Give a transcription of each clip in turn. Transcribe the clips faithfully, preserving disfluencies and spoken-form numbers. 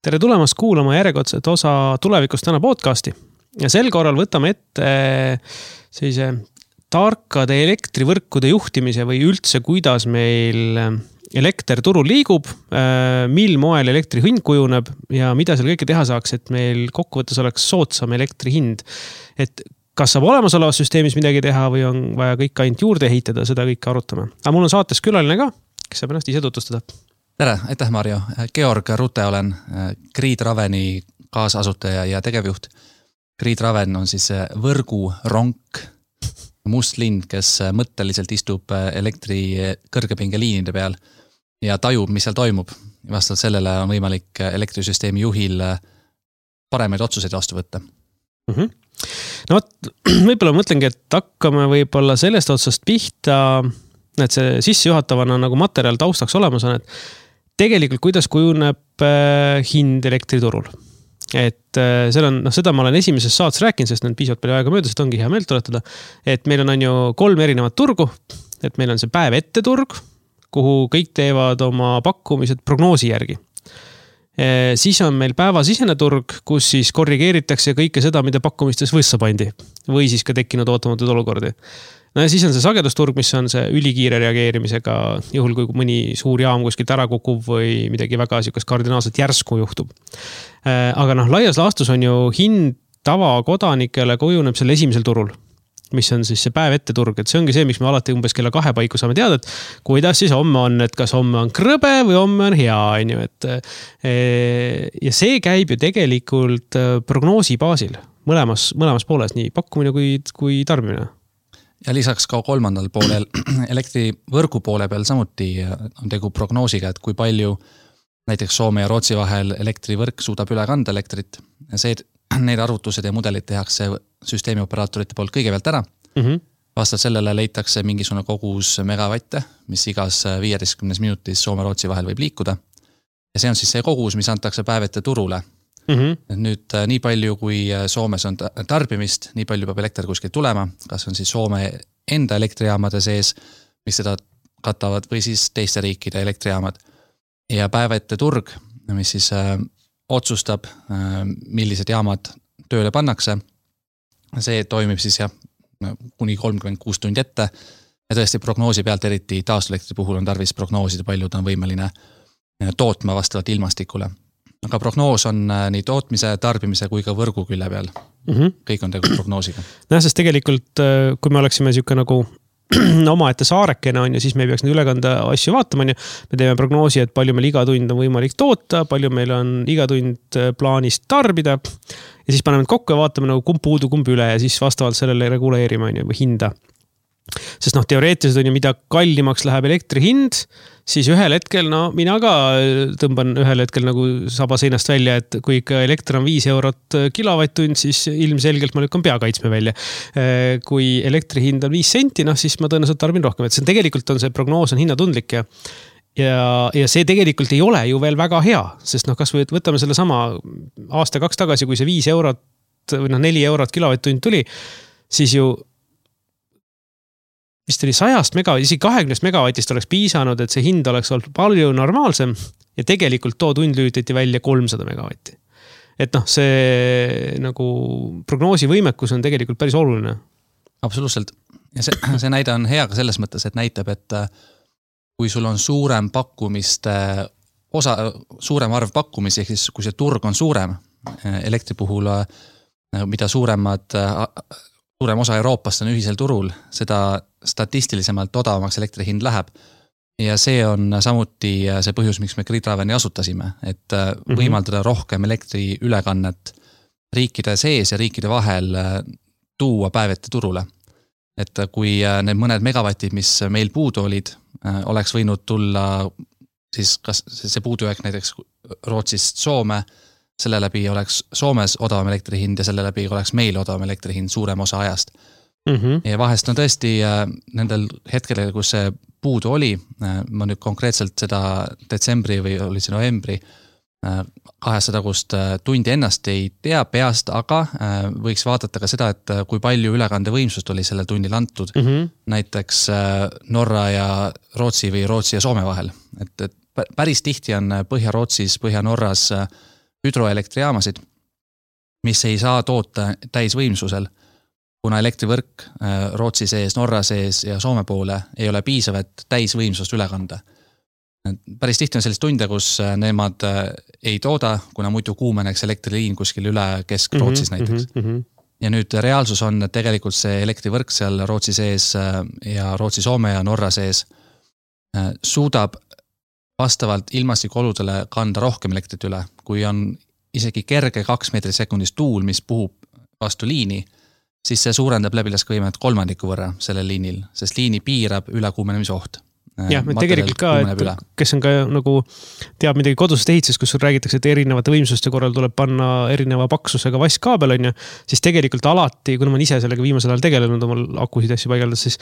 Tere tulemast kuulama järjekordset osa Tulevikust täna podcasti. Ja sel korral võtame ette sellise tarkade elektrivõrkude juhtimise või üldse, kuidas meil elekter turul liigub, mil moel elektri hind kujuneb ja mida seal kõike teha saaks, et meil kokkuvõttes oleks soodsam elektri hind. Et kas saab olemasolevas süsteemis midagi teha või on vaja kõik ainult juurde ehitada, seda kõike arutame. Aga mul on saates külaline ka, kes saab ennast ise tutvustada. Tere, aitäh Marjo. Georg Rute olen Grid Raveni kaasasutaja ja tegevjuht. Grid Raven on siis võrgu ronk, must lind, kes mõtteliselt istub elektri kõrgepingeliinide peal ja tajub, mis seal toimub. Vastavalt sellele on võimalik elektrisüsteemi juhil paremaid otsuseid vastu võtta. Mm-hmm. No võib-olla mõtlengi, et hakkame võib-olla sellest otsast pihta, et see sissejuhatavana nagu materjal taustaks olemas on, et tegelikult kuidas kujuneb hind elektriturul. Et seal on, noh, seda ma olen esimeses saates rääkinud, sest on piisavalt palju aega möödas, et ongi hea meelt tuletada, et meil on, on ju kolm erinevat turgu, et meil on see päev ette turg, kuhu kõik teevad oma pakkumised prognoosi järgi. E, siis on meil päevasisene turg, kus siis korrigeeritakse kõike seda, mida pakkumistes võssa pandi või siis ka tekkinud ootamatud olukordi. No ja siis on see sagedusturg, mis on see ülikiire reageerimisega, juhul kui mõni suur jaam kuskilt ära kukub või midagi väga siukest kardinaalselt järsku juhtub. Aga noh, laias laastus on ju hind tavakodanikele kujuneb selle esimesel turul, mis on siis see päev ette turg. Et see ongi see, miks me alati umbes kella kahe paiku saame teada, et kuidas siis homme on, et kas homme on krõbe või homme on hea. On ju, et, ja see käib ju tegelikult prognoosi baasil mõlemas, mõlemas pooles, nii pakkumine kui, kui tarbimine. Ja lisaks ka kolmandal poolel elektrivõrgu poole peal samuti on tegu prognoosiga, et kui palju näiteks Soome ja Rootsi vahel elektrivõrk suudab üle kanda elektrit. See, need arvutused ja mudelid tehakse süsteemi operaatorite poolt kõigepealt ära. Mm-hmm. Vastavalt sellele leitakse mingisugune kogus megavatte, mis igas viieteistkümnes minutis Soome-Rootsi vahel võib liikuda. Ja see on siis see kogus, mis antakse päevete turule. Mm-hmm. Nüüd nii palju, kui Soomes on tarbimist, nii palju peab elekter kuskil tulema, kas on siis Soome enda elektrijaamade sees, mis seda katavad, või siis teiste riikide elektrijaamad. Ja päevete turg, mis siis äh, otsustab, äh, millised jaamad tööle pannakse, see toimib siis jah, kuni kolmkümmend kuus tundi ette ja tõesti prognoosi pealt, eriti taastuvelektri puhul on tarvis prognoosida, palju ta on võimeline tootma vastavalt ilmastikule. Aga prognoos on nii tootmise, tarbimise kui ka võrgu külle peal. Mm-hmm. Kõik on tegu prognoosiga. No, sest tegelikult, kui me oleksime siuke nagu oma ette saarekene on ja siis me ei peaks neid ülekanda asju vaatama. Me teeme prognoosi, et palju meil iga tund on võimalik toota, palju meil on iga tund plaanis tarbida ja siis paneme kokku ja vaatame nagu kumb puudu, kumb üle ja siis vastavalt sellele reguleerime või hinda. Sest noh, teoreetiliselt on ju, mida kallimaks läheb elektri hind, siis ühel hetkel, no mina ka tõmban ühel hetkel nagu saba seinast välja, et kui ikka elekter on viis eurot kilovatt-tund, siis ilmselgelt ma lükkan peakaitsme välja. Kui elektri hind on viis senti, noh siis ma tõenäoliselt tarbin rohkem. Et see tegelikult on see prognoos on hinnatundlik ja, ja, ja see tegelikult ei ole ju veel väga hea, sest noh, kas või võtame selle sama aasta kaks tagasi, kui see viis eurot või noh, neli eurot kilovatt-tund tuli, siis ju vist oli sajast megavatti, isegi kahekümnest megavatist oleks piisanud, et see hind oleks olnud palju normaalsem ja tegelikult too tund lüütati välja kolmsada megavatti. Et noh, see nagu prognoosi võimekus on tegelikult päris oluline. Absoluutselt. Ja see, see näide on hea ka selles mõttes, et näitab, et kui sul on suurem pakkumiste osa, suurem arv pakkumisi, ehk siis kui see turg on suurem elektri puhul, mida suuremad suurem osa Euroopast on ühisel turul, seda statistilisemalt odavamaks elektri hind läheb. Ja see on samuti see põhjus, miks me Grid Raveni asutasime, et võimaldada rohkem elektri ülekannet riikide sees ja riikide vahel tuua päevete turule. Et kui need mõned megavatid, mis meil puudu olid, oleks võinud tulla siis kas see puudujääk näiteks Rootsist Soome, selle läbi oleks Soomes odavam elektri hind ja selle läbi oleks meil odavam elektri hind suurem osa ajast. Mm-hmm. Ja vahest on tõesti nendel hetkedel, kus see puudu oli, ma nüüd konkreetselt seda detsembri või oli see novembri kahesada tagust tundi ennast ei tea peast, aga võiks vaadata ka seda, et kui palju ülekande võimsust oli sellel tunnil antud, mm-hmm. näiteks Norra ja Rootsi või Rootsi ja Soome vahel. Et, et päris tihti on Põhja-Rootsis, Põhja-Norras hüdroelektrijaamasid, mis ei saa toota täisvõimsusel, kuna elektrivõrk Rootsi sees, Norra sees ja Soome poole ei ole piisav, et täisvõimsust üle kanda. Päris tihti on sellist tunde, kus nemad ei tooda, kuna muidu kuumeneks elektriliin kuskil üle Kesk-Rootsis mm-hmm, näiteks. Mm-hmm. Ja nüüd reaalsus on, et tegelikult see elektrivõrk seal Rootsi sees ja Rootsi, Soome ja Norra sees suudab vastavalt ilmastikuoludele kanda rohkem elektrit üle, kui on isegi kerge kaks meetrit sekundis tuul, mis puhub vastu liini, siis see suurendab läbilaskevõimet kolmandiku võrra sellel liinil, sest liini piirab ülekuumenemise oht. Jah, tegelikult ka, et kes on ka nagu teab midagi kodusest ehitusest, kus räägitakse, et erinevate võimsuste korral tuleb panna erineva paksusega vasskaabel, on ju, siis tegelikult alati, kuna ma ise sellega viimasel ajal tegelenud omal akusid asju paigaldas, siis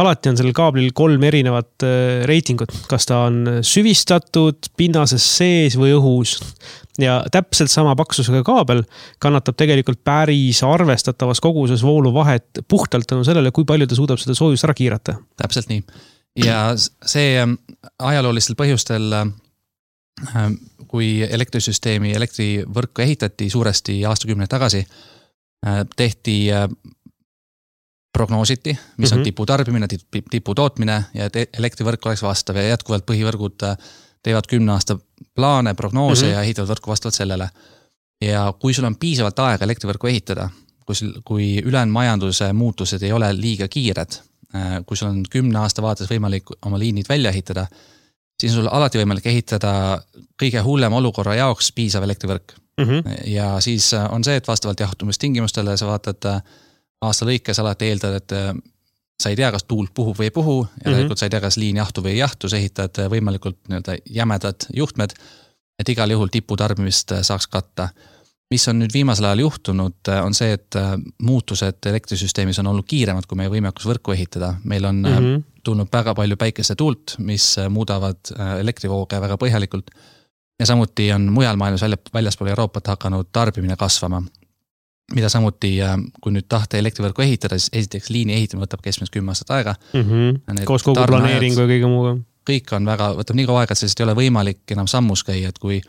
alati on sellel kaablil kolm erinevat reitingut, kas ta on süvistatud, pinnases sees või õhus. Ja täpselt sama paksusega kaabel kannatab tegelikult päris arvestatavas koguses voolu vahet puhtalt tänu sellele, kui palju ta suudab seda soojust ära kiirata. Täpselt nii. Ja see ajaloolistel põhjustel, kui elektrisüsteemi, elektrivõrku ehitati suuresti aastakümneid tagasi, tehti prognoositi, mis on tipu tarbimine, tipu tootmine ja et elektrivõrk oleks vastav ja jätkuvalt põhivõrgud teevad kümne aasta plaane, prognoose mm-hmm. ja ehitavad võrku vastavalt sellele. Ja kui sul on piisavalt aega elektrivõrku ehitada, kui, kui ülejäänud majanduse muutused ei ole liiga kiired, kui sul on kümne aasta vaates võimalik oma liinid välja ehitada, siis on sul alati võimalik ehitada kõige hullem olukorra jaoks piisav elektrivõrk. Mm-hmm. Ja siis on see, et vastavalt jahutumistingimustele sa vaatad aasta lõikes alati eeldad, et sa ei tea, kas tuul puhub või ei puhu ja mm-hmm. tegelikult sa ei tea, kas liin jahtu või ei jahtu, sa ehitad võimalikult nii-öelda jämedad juhtmed, et igal juhul tipu tarbimist saaks katta. Mis on nüüd viimasel ajal juhtunud, on see, et muutused elektrisüsteemis on olnud kiiremad, kui meie võimekus võrku ehitada. Meil on mm-hmm. tulnud väga palju päikese tuult, mis muudavad elektrivooge väga põhjalikult ja samuti on mujal maailmas väljaspool Euroopat hakanud tarbimine kasvama. Mida samuti, kui nüüd tahta elektrivõrku ehitada, siis esiteks liini ehitamine võtab keskmiselt kümme aastat aega. Mm-hmm. Koos kogu planeeringu ja kõige muuga. Kõik on väga, võtab nii kaua aega, et sellest ei ole võimalik enam sammus käia, et kui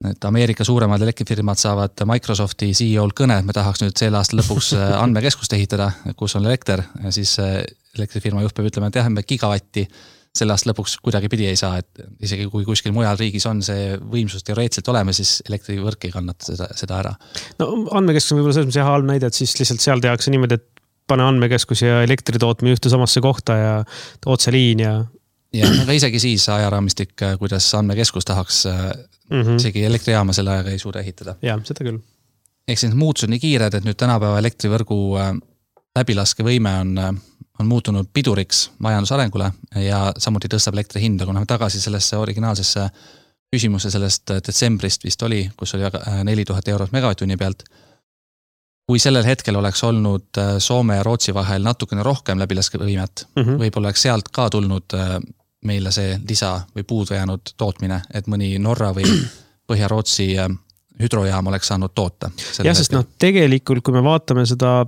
et Ameerika suuremad elektrifirmad saavad Microsofti C E O-l kõne, et me tahaks nüüd selle aasta lõpuks andmekeskust ehitada, kus on elekter, ja siis elektrifirma juht peab ütlema, et jah, me gigavatti selle aasta lõpuks kuidagi pidi ei saa, et isegi kui kuskil mujal riigis on see võimsus teoreetselt olema, siis elektrivõrk ei kannata seda, seda ära. No andmekeskus on võib-olla selles mõttes halb näide, et siis lihtsalt seal tehakse niimoodi, et pane andmekeskus ja elektritootmine ühte samasse kohta ja otseliin ja... Ja aga isegi siis ajaraamistik, kuidas andmekeskus tahaks mm-hmm. isegi elektrijaama selle ajaga ei suuda ehitada. Ja, seda küll. Ehk siis muutused nii kiired, et nüüd tänapäeva elektrivõrgu läbilaskevõime on, on muutunud piduriks majandusarengule ja samuti tõstab elektri hinda, kuna me tagasi sellesse originaalsesse küsimuse sellest detsembrist vist oli, kus oli neli tuhat eurot megavatt-tunni pealt. Kui sellel hetkel oleks olnud Soome ja Rootsi vahel natukene rohkem läbilaskevõimet, mm-hmm. võib-olla oleks sealt ka tulnud meile see lisa või puudu jäänud tootmine, et mõni Norra või Põhja-Rootsi hüdrojaam oleks saanud toota. Jah, sest noh, tegelikult kui me vaatame seda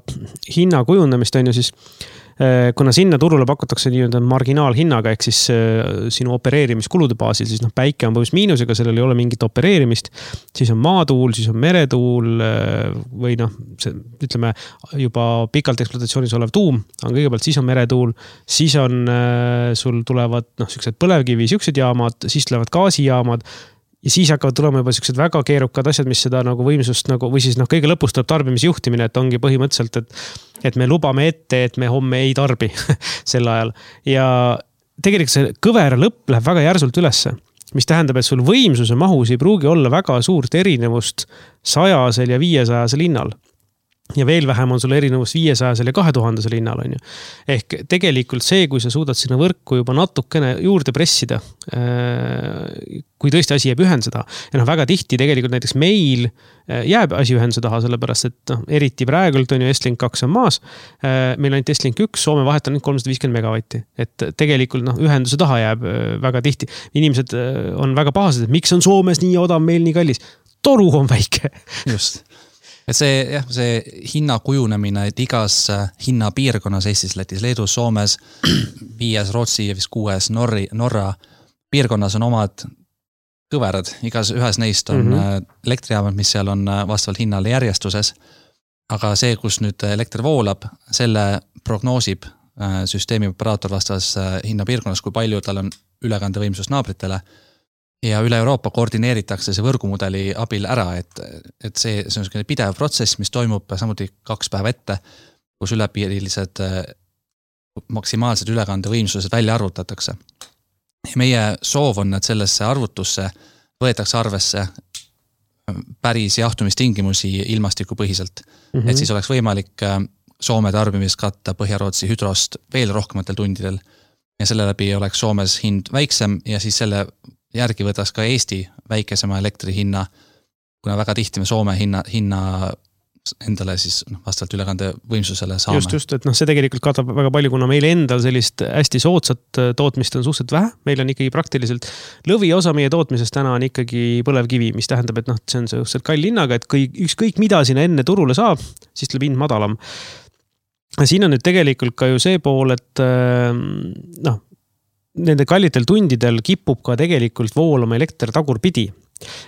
hinna kujundamist, on ju siis, kuna sinna turule pakutakse nii-öelda marginaalhinnaga, ehk siis sinu opereerimiskulude baasil, siis noh, päike on põhjus miinusega, sellel ei ole mingit opereerimist, siis on maatuul, siis on meretuul või noh, see, ütleme juba pikalt ekspluatatsioonis olev tuum on kõigepealt, siis on meretuul, siis on, sul tulevad noh, sellised põlevkivi, sellised jaamad, siis tulevad gaasijaamad, ja siis hakkavad tulema juba sellised väga keerukad asjad, mis seda nagu võimsust nagu, või siis noh, kõige lõpus tuleb tarbimisjuhtimine, et ongi põhimõtteliselt, et, et me lubame ette, et me homme ei tarbi sel ajal. Ja tegelikult see kõvera lõpp läheb väga järsult ülesse, mis tähendab, et sul võimsuse mahus ei pruugi olla väga suurt erinevust sajasel ja viiesajasel hinnal. Ja veel vähem on sul erinevus viiesajasel ja kahe tuhandesel hinnal, on ju. Ehk tegelikult see, kui sa suudad sinna võrku juba natukene juurde pressida, kui tõesti asi jääb ühendada. Ja noh, väga tihti tegelikult näiteks meil jääb asi ühenduse taha, sellepärast, et noh, eriti praegult on ju Estlink kaks on maas. Meil on Estlink üks, Soome vahet on kolmsada viiskümmend megavatti. Et tegelikult noh, ühenduse taha jääb väga tihti. Inimesed on väga pahased, et miks on Soomes nii odav, meil nii kallis. Toru on väike. Just. Et see, jah, see hinna kujunemine, et igas hinnapiirkonnas Eestis, Lätis, Leedus, Soomes, viies Rootsi ja vist kuues Norri, Norra piirkonnas on omad kõverad, igas ühes neist on mm-hmm. elektrijaamad, mis seal on vastavalt hinnale järjestuses, aga see, kus nüüd elekter voolab, selle prognoosib süsteemi operaator vastavas hinnapiirkonnas, kui palju tal on ülekandevõimsus naabritele ja üle Euroopa koordineeritakse see võrgumudeli abil ära, et, et see, see on selline pidev protsess, mis toimub samuti kaks päeva ette, kus ülepiirilised maksimaalsed ülekandevõimsused välja arvutatakse. Meie soov on, et sellesse arvutusse võetakse arvesse päris jahtumistingimusi ilmastikupõhiselt. Mm-hmm. Et siis oleks võimalik Soome tarbimist katta Põhja-Rootsi hüdrost veel rohkematel tundidel ja selle läbi oleks Soomes hind väiksem ja siis selle järgi võtaks ka Eesti väikesema elektri hinna, kuna väga tihti me Soome hinna, hinna endale siis vastavalt ülekande võimsusele saame. Just, just, et noh, see tegelikult katab väga palju, kuna meil endal sellist hästi soodsat tootmist on suhteliselt vähe. Meil on ikkagi praktiliselt lõviosa meie tootmisest täna on ikkagi põlevkivi, mis tähendab, et noh, see on suhteliselt kalli hinnaga, et kõik, ükskõik mida sinna enne turule saab, siis tuleb hind madalam. Siin on nüüd tegelikult ka ju see pool, et noh, nende kallitel tundidel kipub ka tegelikult voolama elekter tagurpidi.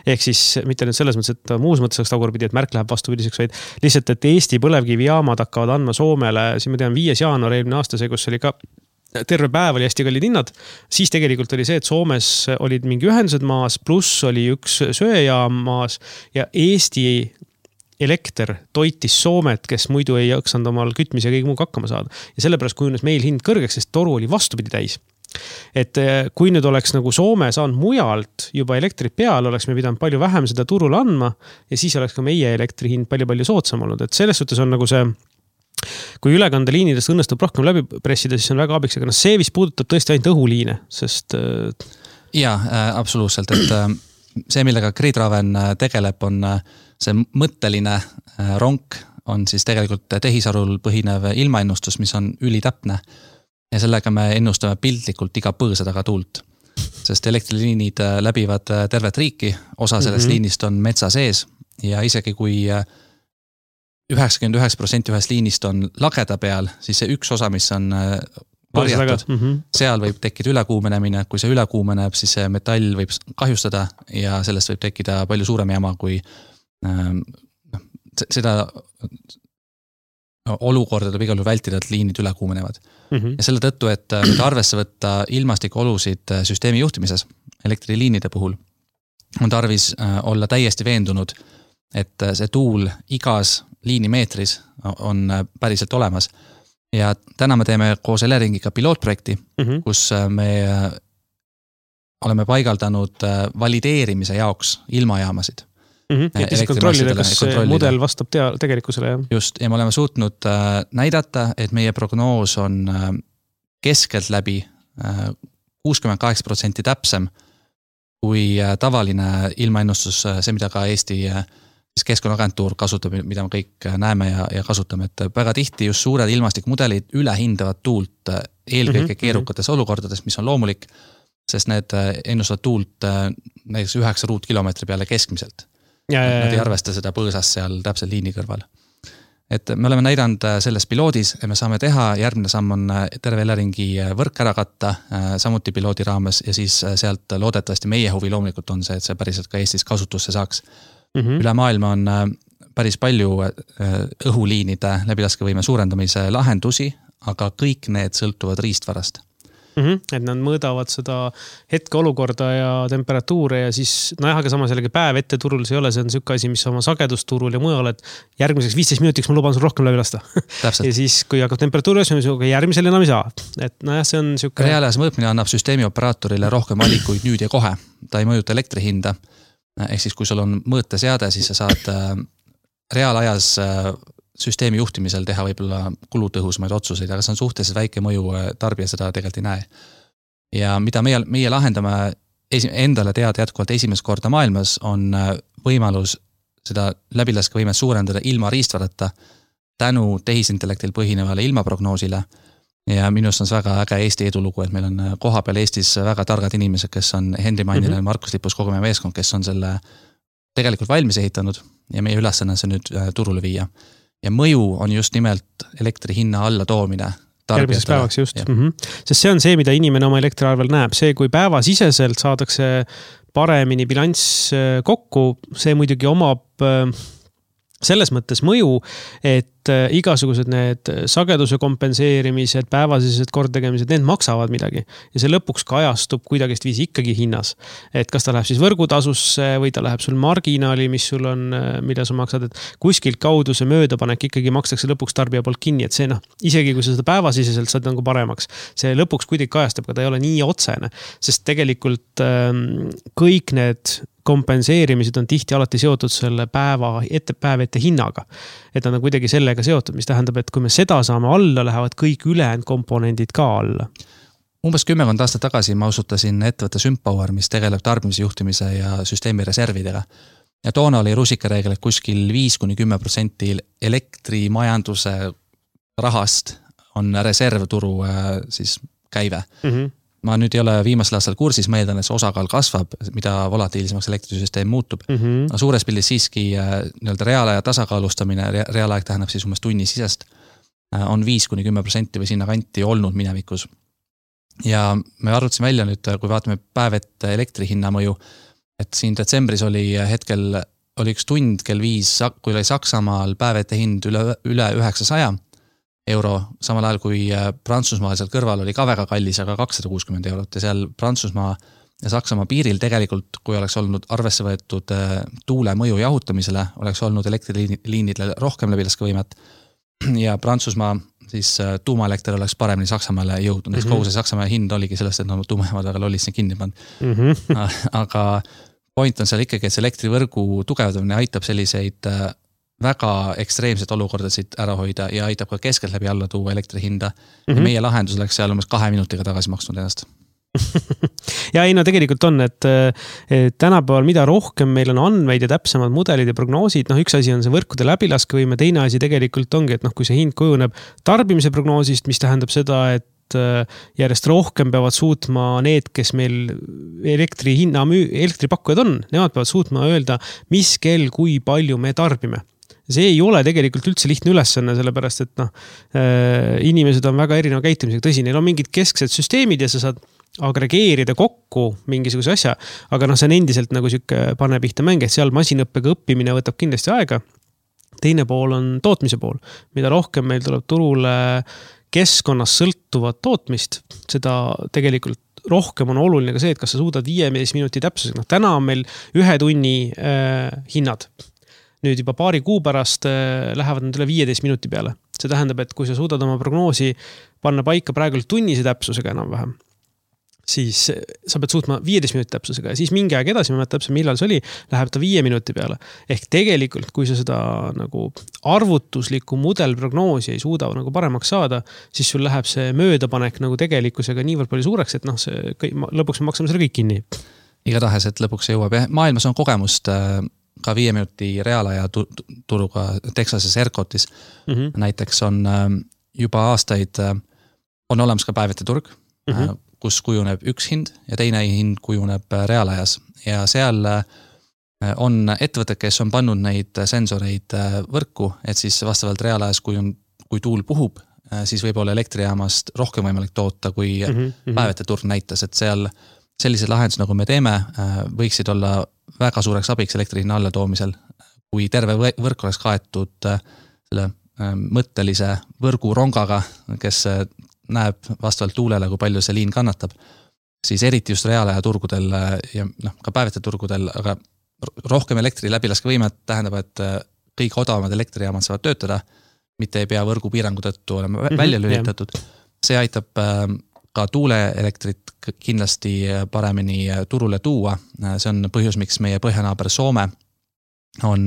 Ehk siis mitte nüüd selles mõttes, et muus mõttes oleks tagurpidi, et märk läheb vastupidiseks, vaid lihtsalt, et Eesti põlevkivijaamad hakkavad andma Soomele, siin ma tean viies jaanuar eelmine aasta see, kus oli ka terve päev oli hästi kallid hinnad, siis tegelikult oli see, et Soomes olid mingi ühendused maas, pluss oli üks söejaam maas ja Eesti elekter toitis Soomet, kes muidu ei jaksanud omal kütmise ja kõik muu hakkama saada. Ja sellepärast kujunes meil hind kõrgeks, sest toru oli vastupidi täis. Et kui nüüd oleks nagu Soome saanud mujalt juba elektrit peale, oleks me pidanud palju vähem seda turule andma ja siis oleks ka meie elektri hind palju-palju soodsam olnud. Et selles suhtes on nagu see, kui ülekandeliinidest õnnestub rohkem läbi pressida, siis on väga abiks, aga no see vist puudutab tõesti ainult õhuliine, sest... Jaa, äh, absoluutselt, et äh, see, millega Gridhaven tegeleb, on see mõtteline äh, ronk, on siis tegelikult tehisarul põhinev ilmaennustus, mis on ülitäpne. Ja sellega me ennustame pildlikult iga põõsa taga tuult, sest elektriliinid läbivad tervet riiki, osa sellest mm-hmm. liinist on metsa sees ja isegi kui üheksakümmend üheksa protsenti ühest liinist on lageda peal, siis see üks osa, mis on varjatud, mm-hmm. seal võib tekkida ülekuumenemine, kui see ülekuumeneb, siis see metall võib kahjustada ja sellest võib tekkida palju suurem jama, kui äh, seda olukorda tuleb igal juhul vältida, et liinid ülekuumenevad. Mm-hmm. Ja selle tõttu, et nüüd arvesse võtta ilmastikuolusid süsteemi juhtimises elektriliinide puhul, on tarvis olla täiesti veendunud, et see tuul igas liinimeetris on päriselt olemas. Ja täna me teeme koos Eleringiga pilootprojekti, mm-hmm. kus me oleme paigaldanud valideerimise jaoks ilmajaamasid. Mm-hmm. Et siis kontrollida, kas kontrollida. Mudel vastab tea, tegelikkusele. Jah. Just, ja me oleme suutnud äh, näidata, et meie prognoos on äh, keskelt läbi äh, kuuskümmend kaheksa protsenti täpsem kui äh, tavaline ilmaennustus, äh, see, mida ka Eesti äh, Keskkonnaagentuur kasutab, mida me kõik äh, näeme ja, ja kasutame, et väga tihti just suured ilmastikmudelid ülehindavad tuult äh, eelkõige mm-hmm. keerukates olukordades, mis on loomulik, sest need äh, ennustavad tuult äh, näiteks üheksa ruutkilomeetri peale keskmiselt. Ja, ja, ja. Nad ei arvesta seda põõsast seal täpselt liini kõrval. Et me oleme näidanud selles piloodis, et me saame teha, järgmine samm on terve Eleringi võrk ära katta, samuti piloodi raames ja siis sealt loodetavasti meie huvi loomulikult on see, et see päriselt ka Eestis kasutusse saaks. Mm-hmm. Üle maailma on päris palju õhuliinide läbilaskevõime suurendamise lahendusi, aga kõik need sõltuvad riistvarast. Mm-hmm. Et nad mõõdavad seda hetkeolukorda ja temperatuure ja siis, no jah, aga samas jällegi päev ette turul see ei ole, see on siuke asi, mis oma sagedusturul ja mujal, et järgmiseks viisteist minutiks ma luban sul rohkem läbi lasta. Ja siis, kui hakkab temperatuuri osma, siis järgmisel enam ei saa. Et no jah, see on siuke... Reaalajas mõõtmine annab süsteemi operaatorile rohkem valikuid nüüd ja kohe. Ta ei mõjuta elektri hinda. Ehk siis, kui sul on mõõteseade, siis sa saad reaalajas süsteemi juhtimisel teha võib-olla kulutõhusmaid otsuseid, aga see on suhteliselt väike mõju, tarbija seda tegelikult ei näe. Ja mida meie, meie lahendame endale teada jätkuvalt esimest korda maailmas, on võimalus seda läbilaskevõimet suurendada ilma riistvarata tänu tehisintellektil põhinevale ilmaprognoosile. Ja minust on see väga äge Eesti edulugu, et meil on koha peal Eestis väga targad inimesed, kes on Henri Mainile mm-hmm. Markus Lipus kogu meie meeskond, kes on selle tegelikult valmis ehitanud ja meie ülesanne see nüüd turule viia. Ja mõju on just nimelt elektri hinna alla toomine. Järgmiseks päevaks just. Mm-hmm. Sest see on see, mida inimene oma elektriarvel näeb. See, kui päevasiseselt saadakse paremini bilanss kokku, see muidugi omab selles mõttes mõju, et igasugused need sageduse kompenseerimised, päevasised kordtegemised, need maksavad midagi. Ja see lõpuks kajastub kuidagist viisi ikkagi hinnas. Et kas ta läheb siis võrgutasusse või ta läheb sul marginaali, mis sul on, mida sa maksad, et kuskilt kaudu see möödapanek ikkagi makstakse lõpuks tarbija poolt kinni, et see noh, isegi kui sa seda päevasiseselt saad nagu paremaks, see lõpuks kuidagi kajastab, aga ta ei ole nii otsene, sest tegelikult ähm, kõik need kompenseerimised on tihti alati seotud selle päeva ette, päev ette hinnaga. Et nad on kuidagi sellega seotud, mis tähendab, et kui me seda saame alla, lähevad kõik ülejäänud komponendid ka alla. Umbes kümmekond aastat tagasi ma asutasin ettevõtte Sympower, mis tegeleb tarbimise juhtimise ja süsteemi reservidega. Ja toona oli rusikareegel, et kuskil viis kuni kümme protsenti elektrimajanduse rahast on reservturu siis käive. Mm-hmm. Ma nüüd ei ole viimasel aastal kursis, ma eeldan, et see osakaal kasvab, mida volatiilsemaks elektrisüsteem muutub. Mm-hmm. No, suures pildis siiski nii-öelda reaalaja tasakaalustamine, reaalaeg tähendab siis umbes tunni sisest, on viis kuni kümme protsenti või sinna kanti olnud minevikus. Ja me arvutasime välja nüüd, kui vaatame päev ette elektrihinna mõju, et siin detsembris oli hetkel, oli üks tund kell viis, kui oli Saksamaal päev ette hind üle, üle üheksasaja euro, samal ajal kui Prantsusmaal seal kõrval oli ka väga kallis, aga kakssada kuuskümmend eurot ja seal Prantsusmaa ja Saksamaa piiril tegelikult, kui oleks olnud arvesse võetud tuule mõju jahutamisele, oleks olnud elektriliinidele rohkem läbilaskevõimet ja Prantsusmaa siis tuumaelekter oleks paremini Saksamaale jõudnud. Mm-hmm. Kogu see Saksamaa hind oligi sellest, et no, tuumajaamad väga lollis kinni pannud. Mm-hmm. Aga point on seal ikkagi, et see elektrivõrgu tugevdamine aitab selliseid väga ekstreemsed olukordasid ära hoida ja aitab ka keskelt läbi alla tuua elektri hinda. Mm-hmm. Ja meie lahendus oleks seal umbes kahe minutiga tagasi maksnud ennast. ja ei no tegelikult on, et, et tänapäeval mida rohkem meil on andmeid ja täpsemad mudelid ja prognoosid, noh üks asi on see võrkude läbilaskevõime, teine asi tegelikult ongi, et noh, kui see hind kujuneb tarbimise prognoosist, mis tähendab seda, et järjest rohkem peavad suutma need, kes meil elektri hinna, elektripakkujad on, nemad peavad suutma öelda, mis kell, kui palju me tarbime. See ei ole tegelikult üldse lihtne ülesanne, sellepärast, et noh, inimesed on väga erineva käitumisega, tõsi, neil on mingid kesksed süsteemid ja sa saad agregeerida kokku mingisuguse asja, aga noh, see on endiselt nagu siuke pane pihta mäng, et seal masinõppega õppimine võtab kindlasti aega. Teine pool on tootmise pool, mida rohkem meil tuleb turule keskkonnas sõltuvat tootmist, seda tegelikult rohkem on oluline ka see, et kas sa suudad viieteist minuti täpsusega. No, täna on meil ühe tunni äh, hinnad. Nüüd juba paari kuu pärast äh, lähevad nad üle viieteist minuti peale. See tähendab, et kui sa suudad oma prognoosi panna paika praegu tunnise täpsusega enam vähem, siis sa pead suutma viieteist minuti täpsusega ja siis mingi aeg edasi, ma täpselt millal see oli, läheb ta viie minuti peale. Ehk tegelikult, kui sa seda nagu arvutuslikku mudelprognoosi ei suuda nagu paremaks saada, siis sul läheb see möödapanek nagu tegelikkusega niivõrd palju suureks, et noh, see, lõpuks me maksame selle kõik kinni. Igatahes, et lõpuks jõuab. Maailmas on kogemust ka viie minuti reaalaja turuga Texases Ercotis. Mm-hmm. Näiteks on juba aastaid on olemas ka päevete turg, mm-hmm. kus kujuneb üks hind ja teine hind kujuneb reaalajas. Ja seal on ettevõtted, kes on pannud neid sensoreid võrku, et siis vastavalt reaalajas, kui, on, kui tuul puhub, siis võib olla elektrijaamast rohkem võimalik toota, kui mm-hmm. päevete turg näitas, et seal sellised lahendused, nagu me teeme, võiksid olla väga suureks abiks elektri hinna alla toomisel, kui terve võrk oleks kaetud selle mõttelise võrgu rongaga, kes näeb vastavalt tuulele, kui palju see liin kannatab, siis eriti just reaalaja turgudel ja noh, ka päevete turgudel, aga rohkem elektri läbilaskevõimet tähendab, et kõik odavamad elektrijaamad saavad töötada, mitte ei pea võrgu piirangu tõttu olema mm-hmm, välja lülitatud. See aitab ka tuuleelektrit kindlasti paremini turule tuua. See on põhjus, miks meie põhjanaaber Soome on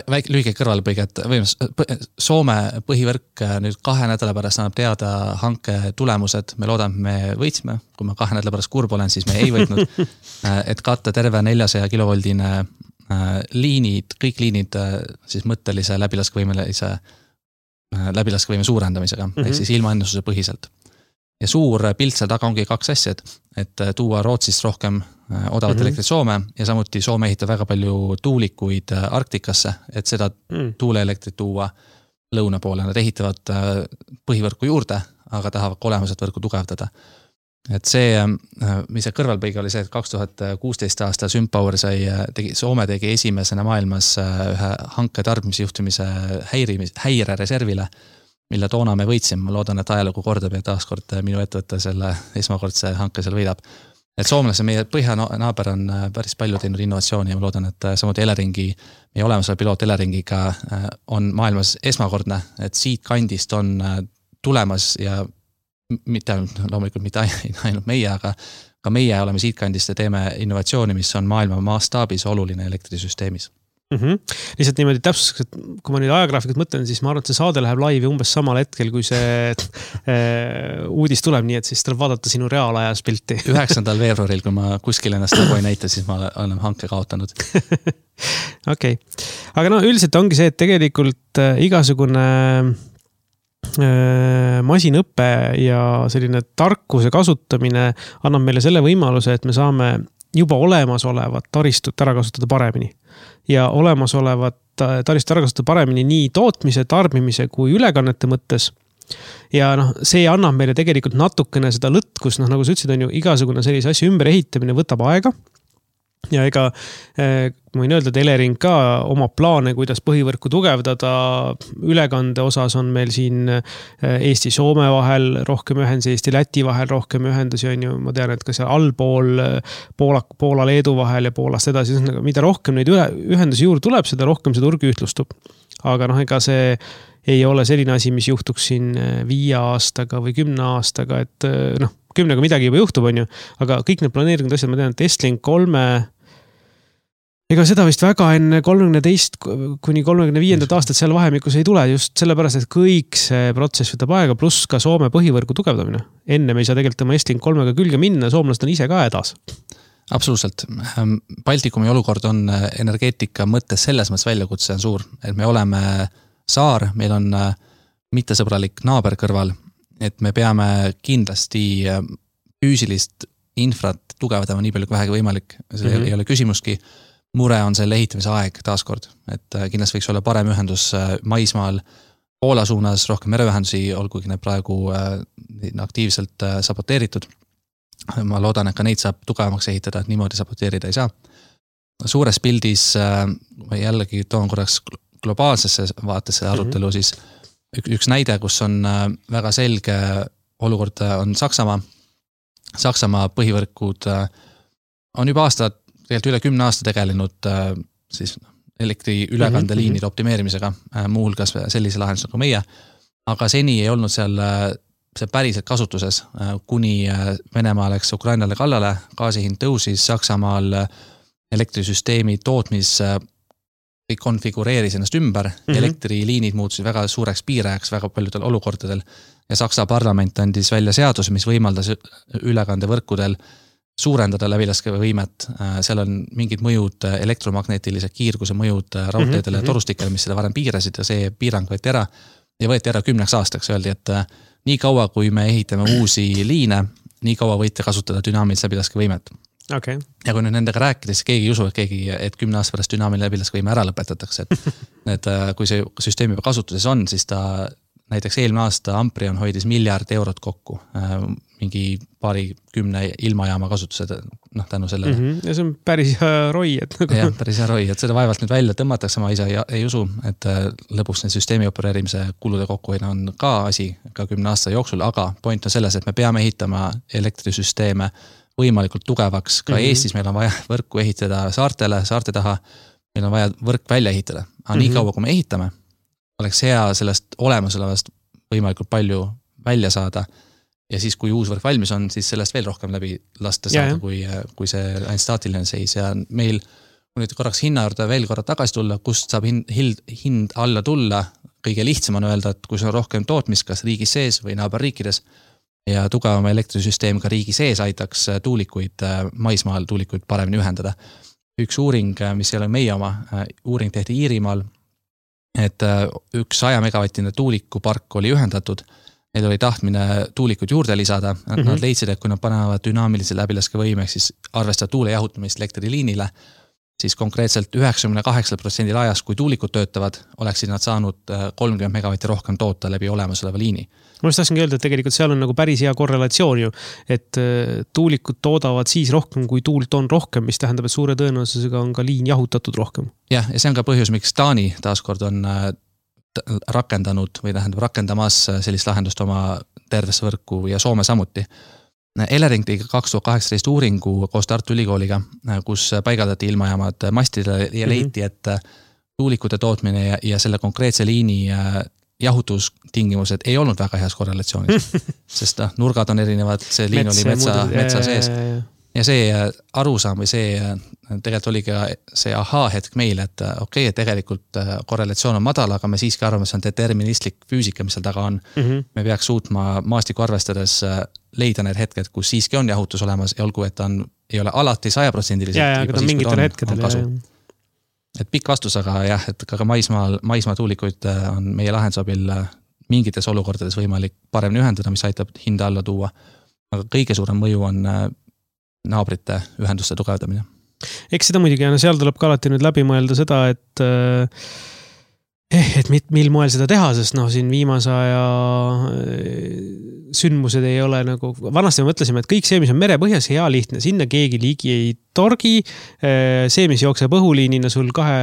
väike lühike kõrvalpõige, et Soome põhivõrk nüüd kahe nädala pärast annab teada hanke tulemused. Me loodame, me võitsime, kui ma kahe nädala pärast kurb olen, siis me ei võitnud, et katta terve neljasaja kilovoldine liinid, kõik liinid siis mõttelise läbilaskevõimelise läbilaskevõime suurendamisega, mm-hmm. ehk siis ilma ennustuse põhiselt. Ja suur pilt seal taga ongi kaks asja, et tuua Rootsist rohkem odavat mm-hmm. elektrit Soome ja samuti Soome ehitab väga palju tuulikuid Arktikasse, et seda mm. tuuleelektrit tuua lõuna poole. Nad ehitavad põhivõrku juurde, aga tahavad olemused võrku tugevdada. et see, mis see kõrvalpõige oli see, et kaks tuhat kuusteist aasta SymPower sai, tegi, Soome tegi esimesena maailmas ühe hanke tarbimisjuhtimise häirimis, häire reservile, mille toona me võitsime. Ma loodan, et ajalugu kordab ja taaskord minu ettevõtte selle esmakordse hanke seal võidab. Et soomlase meie põhjanaaber on päris palju teinud innovatsiooni ja ma loodan, et samuti Eleringi, meie olemusel piloot Eleringiga on maailmas esmakordne, et siit kandist on tulemas ja mitte loomulikult mitte ainult meie, aga ka meie oleme siit kandist ja teeme innovatsiooni, mis on maailma maastaabis oluline elektrisüsteemis. Mm-hmm. Lihtsalt niimoodi täpsuseks, et kui ma nüüd ajagraafikut mõtlen, siis ma arvan, et see saade läheb laivi umbes samal hetkel, kui see äh, uudis tuleb, nii et siis tuleb vaadata sinu reaalajas pilti. üheksandal veebruaril, kui ma kuskil ennast nagu ei näita, siis ma olen hanke kaotanud. Okei. Okay. Aga no üldiselt ongi see, et tegelikult äh, igasugune äh, masinõppe ja selline tarkuse kasutamine annab meile selle võimaluse, et me saame juba olemasolevat taristut ära kasutada paremini. Ja olemasolevat taristut ära kasutada paremini nii tootmise, tarbimise kui ülekannete mõttes. Ja noh, see annab meile tegelikult natukene seda lõtkus, noh nagu sa ütlesid, on ju igasugune sellise asja ümber ehitamine võtab aega. Ja ega eh, ma võin öelda, et Elering ka oma plaane, kuidas põhivõrku tugevdada, ülekande osas on meil siin Eesti-Soome vahel rohkem ühendusi, Eesti-Läti vahel rohkem ühendusi on ju, ma tean, et ka seal allpool Poola, Poola-Leedu vahel ja Poolast edasi, mida rohkem neid ühendusi juurde tuleb, seda rohkem see turg ühtlustub. Aga noh, ega see ei ole selline asi, mis juhtuks siin viie aastaga või kümne aastaga, et noh, kümnega midagi juba juhtub, on ju, aga kõik need planeeringud asjad, ma tean, et Estlink kolme ega seda vist väga enne kolmekümne teist kuni kolmekümne viiendat aastat seal vahemikus ei tule just sellepärast, et kõik see protsess võtab aega, pluss ka Soome põhivõrgu tugevdamine. Enne me ei saa tegelikult oma Estlink kolmega külge minna, soomlased on ise ka hädas. Absoluutselt. Baltikumi olukord on energeetika mõttes selles mõttes väljakutse on suur, et me oleme saar, meil on mittesõbralik naaber kõrval, et me peame kindlasti füüsilist infrat tugevdama nii palju kui vähegi võimalik. See mm-hmm. ei ole küsimuski. Mure on selle ehitamise aeg taaskord, et kindlasti võiks olla parem ühendus maismaal Poola suunas, rohkem mereühendusi, olgugi need praegu aktiivselt saboteeritud. Ma loodan, et ka neid saab tugevamaks ehitada, et niimoodi saboteerida ei saa. Suures pildis, jällegi toon korraks globaalsesse vaatesse arutelu, mm-hmm. siis üks näide, kus on väga selge olukord, on Saksamaa. Saksamaa põhivõrkud on juba aastad, tegelikult üle kümne aasta tegelenud siis elektri ülekandeliinide optimeerimisega, muuhulgas sellise lahendus nagu meie, aga seni ei olnud seal see päriselt kasutuses, kuni Venemaa läks Ukrainale kallale, gaasihind tõusis, Saksamaal elektrisüsteemi tootmis konfigureeris ennast ümber, mm-hmm. elektriliinid muutusid väga suureks piirajaks väga paljudel olukordadel ja Saksa parlament andis välja seaduse, mis võimaldas ülekandevõrkudel suurendada läbilaskevõimet. Seal on mingid mõjud, elektromagnetilise kiirguse mõjud raudteedele ja torustikele, mis seda varem piirasid ja see piirang võeti ära ja võeti ära kümneks aastaks. Öeldi, et nii kaua, kui me ehitame uusi liine, nii kaua võite kasutada dünaamilist läbilaskevõimet. Okay. Ja kui nüüd nendega rääkides, keegi ei usu, et, keegi, et kümne aasta pärast dünaamiline läbilaskevõime ära lõpetatakse. Et, et kui see süsteem juba kasutuses on, siis ta näiteks eelmine aasta Amprion hoidis miljard eurot kokku mingi paari kümne ilmajaama kasutused noh, tänu sellele. Mm-hmm. Ja see on päris hea roi. Et nagu... jah, päris hea roi, et seda vaevalt nüüd välja tõmmatakse, ma ise ei, ei usu, et lõpuks need süsteemi opereerimise kulude kokkuhoidna on ka asi ka kümne aasta jooksul, aga point on selles, et me peame ehitama elektrisüsteeme võimalikult tugevaks. Ka mm-hmm. Eestis meil on vaja võrku ehitada saartele, saarte taha, meil on vaja võrk välja ehitada. Aga mm-hmm. nii kaua, kui me ehitame, oleks hea sellest olemasolevast võimalikult palju välja saada ja siis, kui uus võrk valmis on, siis sellest veel rohkem läbi lasta saada, kui, kui see ainult staatiline seis ja meil, kui nüüd korraks hinna juurde veel korra tagasi tulla, kust saab hind, hind, hind alla tulla, kõige lihtsam on öelda, et kui see on rohkem tootmist, kas riigis sees või naaberriikides ja tugevama elektrisüsteem ka riigi sees aitaks tuulikuid, maismaal tuulikuid paremini ühendada. Üks uuring, mis ei ole meie oma, uuring tehti Iirimaal, et üks saja megavatine tuulikupark oli ühendatud, neil oli tahtmine tuulikud juurde lisada, mm-hmm. nad leidsid, et kui nad panevad dünaamilise läbilaskevõime, siis arvestada tuule jahutamist elektriliinile, siis konkreetselt üheksakümne kaheksa protsendil ajast, kui tuulikud töötavad, oleksid nad saanud kolmkümmend megavatti rohkem toota läbi olemasoleva liini. Ma just tahtsingi öelda, et tegelikult seal on nagu päris hea korrelatsioon ju, et tuulikud toodavad siis rohkem, kui tuult on rohkem, mis tähendab, et suure tõenäosusega on ka liin jahutatud rohkem. Jah, ja see on ka põhjus, miks Taani taaskord on rakendanud või tähendab rakendamas sellist lahendust oma tervesse võrku ja Soome samuti. Elering tegi kaks tuhat kaheksateist uuringu koos Tartu Ülikooliga, kus paigaldati ilmajaamad mastidele ja leiti, et tuulikute tootmine ja, ja selle konkreetse liini jahutustingimused ei olnud väga heas korrelatsioonis, sest nurgad on erinevad, see liin Mets, oli metsa, metsa sees. Ja see arusaam või see tegelikult oli ka see ahaa hetk meile, et okei, okay, et tegelikult korrelatsioon on madal, aga me siiski arvame, see on deterministlik füüsika, mis seal taga on. Mm -hmm. Me peaks suutma maastiku arvestades leida need hetked, kus siiski on jahutus olemas ja olgu, et ta on, ei ole alati saja protsendiliselt. Ja, ja, aga ta mingitel hetkedel. Et pikk vastus, aga jah, et ka maismaal, maismaa tuulikuid on meie lahendusabil mingites olukordades võimalik paremini ühendada, mis aitab hinda alla tuua. Aga kõige suurem mõju on naabrite ühenduste tugevdamine. Eks seda muidugi, ja seal tuleb ka alati nüüd läbi mõelda seda, et eh, et mil moel seda teha, sest noh, siin viimase aja sündmused ei ole nagu, vanasti me mõtlesime, et kõik see, mis on merepõhjas, hea lihtne, sinna keegi liigi ei torgi, see, mis jookseb õhuliinina sul kahe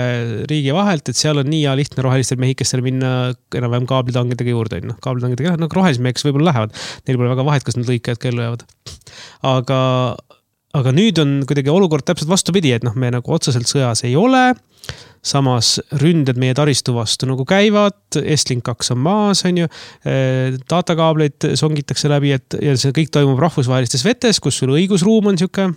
riigi vahelt, et seal on nii hea lihtne rohelistel mehikestel minna enam-vähem kaablitangidega juurde, noh, kaablitangidega, noh, rohelismeheks võib-olla lähevad, neil pole väga vahet, kas nad lõikajad kellu jäävad. Aga Aga nüüd on kuidagi olukord täpselt vastupidi, et noh, me nagu otseselt sõjas ei ole, samas ründed meie taristu vastu nagu käivad, Estlink kaks on maas, on ju, datakaableid songitakse läbi, et ja see kõik toimub rahvusvahelistes vetes, kus sul õigusruum on siuke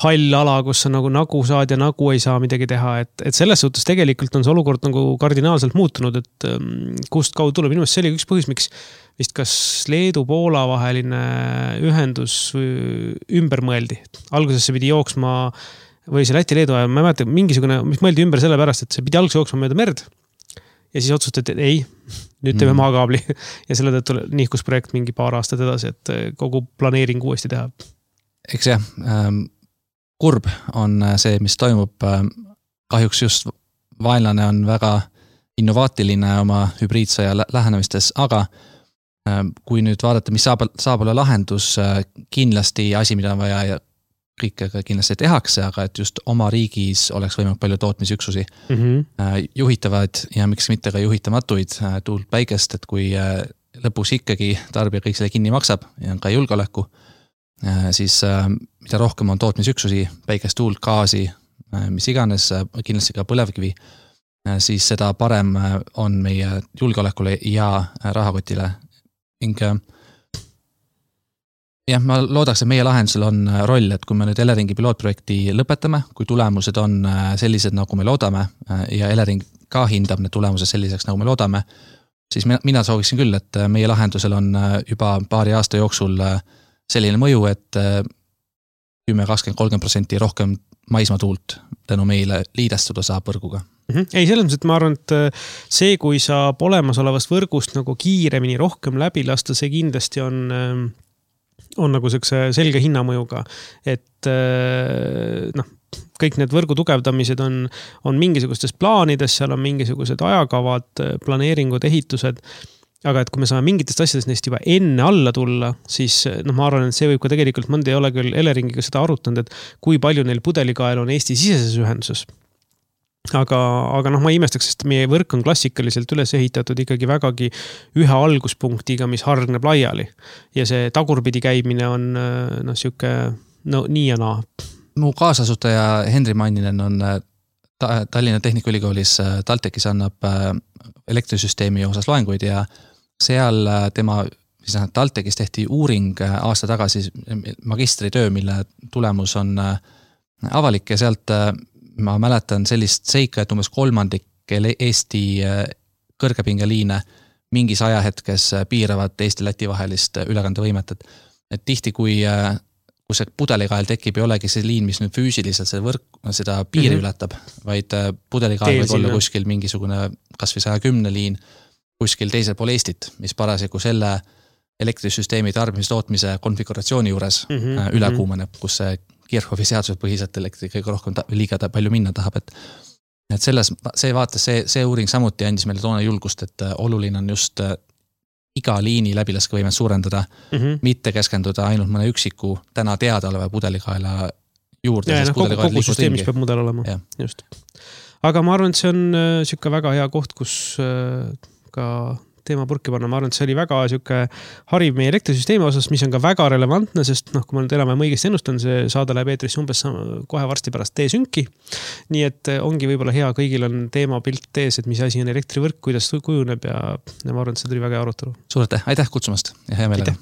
hall ala, kus on nagu nagu saad ja nagu ei saa midagi teha, et, et selles suhtes tegelikult on see olukord nagu kardinaalselt muutunud, et kust kaudu tuleb. Minu meelest see oli üks põhjus, miks vist kas Leedu-Poola vaheline ühendus ümber mõeldi. Alguses see pidi jooksma, või see Läti-Leedu ajal, ma ei mäleta, mingisugune, mis mõeldi ümber selle pärast, et see pidi alguses jooksma mööda merd ja siis otsustati, et ei, nüüd teeme mm. maakaabli ja selle tõttu nihkus projekt mingi paar aastat edasi, et kogu planeering uuesti teha. Eks jah, kurb on see, mis toimub. Kahjuks just vaenlane on väga innovaatiline oma hübriidsõja lähenemistes, aga kui nüüd vaadata, mis saab, saab olla lahendus, kindlasti asi, mida on vaja ja kõike kindlasti tehakse, aga et just oma riigis oleks võimalik palju tootmisüksusi mm -hmm. juhitavad ja miks mitte ka juhitamatuid tuult päikest, et kui lõpus ikkagi tarbija kõik selle kinni maksab ja on ka julgeoleku, siis mida rohkem on tootmisüksusi, päikest, tuult, gaasi, mis iganes, kindlasti ka põlevkivi, siis seda parem on meie julgeolekule ja rahakotile. Ning jah, ma loodaks, et meie lahendusel on roll, et kui me nüüd Eleringi pilootprojekti lõpetame, kui tulemused on sellised, nagu me loodame ja Elering ka hindab need tulemused selliseks, nagu me loodame, siis mina sooviksin küll, et meie lahendusel on juba paari aasta jooksul selline mõju, et kümme, kakskümmend, kolmkümmend protsenti rohkem maismaatuult tänu meile liidestuda saab võrguga. Ei, selles mõttes, et ma arvan, et see, kui saab olemasolevast võrgust nagu kiiremini rohkem läbi lasta, see kindlasti on, on nagu selline selge hinnamõjuga. Et noh, kõik need võrgu tugevdamised on, on mingisugustes plaanides, seal on mingisugused ajakavad, planeeringud, ehitused. Aga et kui me saame mingitest asjadest neist juba enne alla tulla, siis noh, ma arvan, et see võib ka tegelikult, mõnda ei ole küll Eleringiga seda arutanud, et kui palju neil pudelikael on Eesti siseses ühenduses. Aga, aga noh, ma imestaks, sest meie võrk on klassikaliselt üles ehitatud ikkagi vägagi ühe alguspunktiga, mis hargneb laiali. Ja see tagurpidi käimine on noh, siuke no, nii ja naa. Mu kaasasutaja Henri Manninen on Tallinna Tehnikaülikoolis TalTechis annab elektrisüsteemi osas loenguid ja seal tema, siis TalTechis tehti uuring aasta tagasi magistritöö, mille tulemus on avalik ja sealt ma mäletan sellist seika, et umbes kolmandik Eesti kõrgepingeliine mingis ajahetkes piiravad Eesti-Läti vahelist ülekandevõimet, et, et tihti kui kui see pudelikael tekib, ei olegi see liin, mis nüüd füüsiliselt seda, võrk, seda piiri mm -hmm. ületab, vaid pudelikael võib olla kuskil mingisugune kas või saja kümne liin kuskil teisel pool Eestit, mis parasjagu selle elektrisüsteemi tarbimistootmise konfiguratsiooni juures mm -hmm. üle kuumeneb, kus see Kirchhoffi seaduse põhiselt elektri kõige rohkem ta, liiga ta palju minna tahab, et et selles, see vaates, see, see uuring samuti andis meile toona julgust, et oluline on just iga liini läbilaskevõimet suurendada, mm -hmm. mitte keskenduda ainult mõne üksiku täna teada oleva pudelikaela juurde. Ja, no, kogu, kogu süsteemis peab mudel olema, ja. Just. Aga ma arvan, et see on siuke väga hea koht, kus ka teema purki panna. Ma arvan, et see oli väga siuke hariv meie elektrisüsteemi osas, mis on ka väga relevantne, sest noh, kui ma nüüd enam õigesti ennustan, see saade läheb eetrisse umbes kohe varsti pärast T-sünki. Nii et ongi võib-olla hea, kõigil on teema pilt tees, et mis asi on elektrivõrk, kuidas kujuneb ja, ja ma arvan, et see tuli väga hea arutelu. Suur aitäh, aitäh kutsumast ja hea meelega.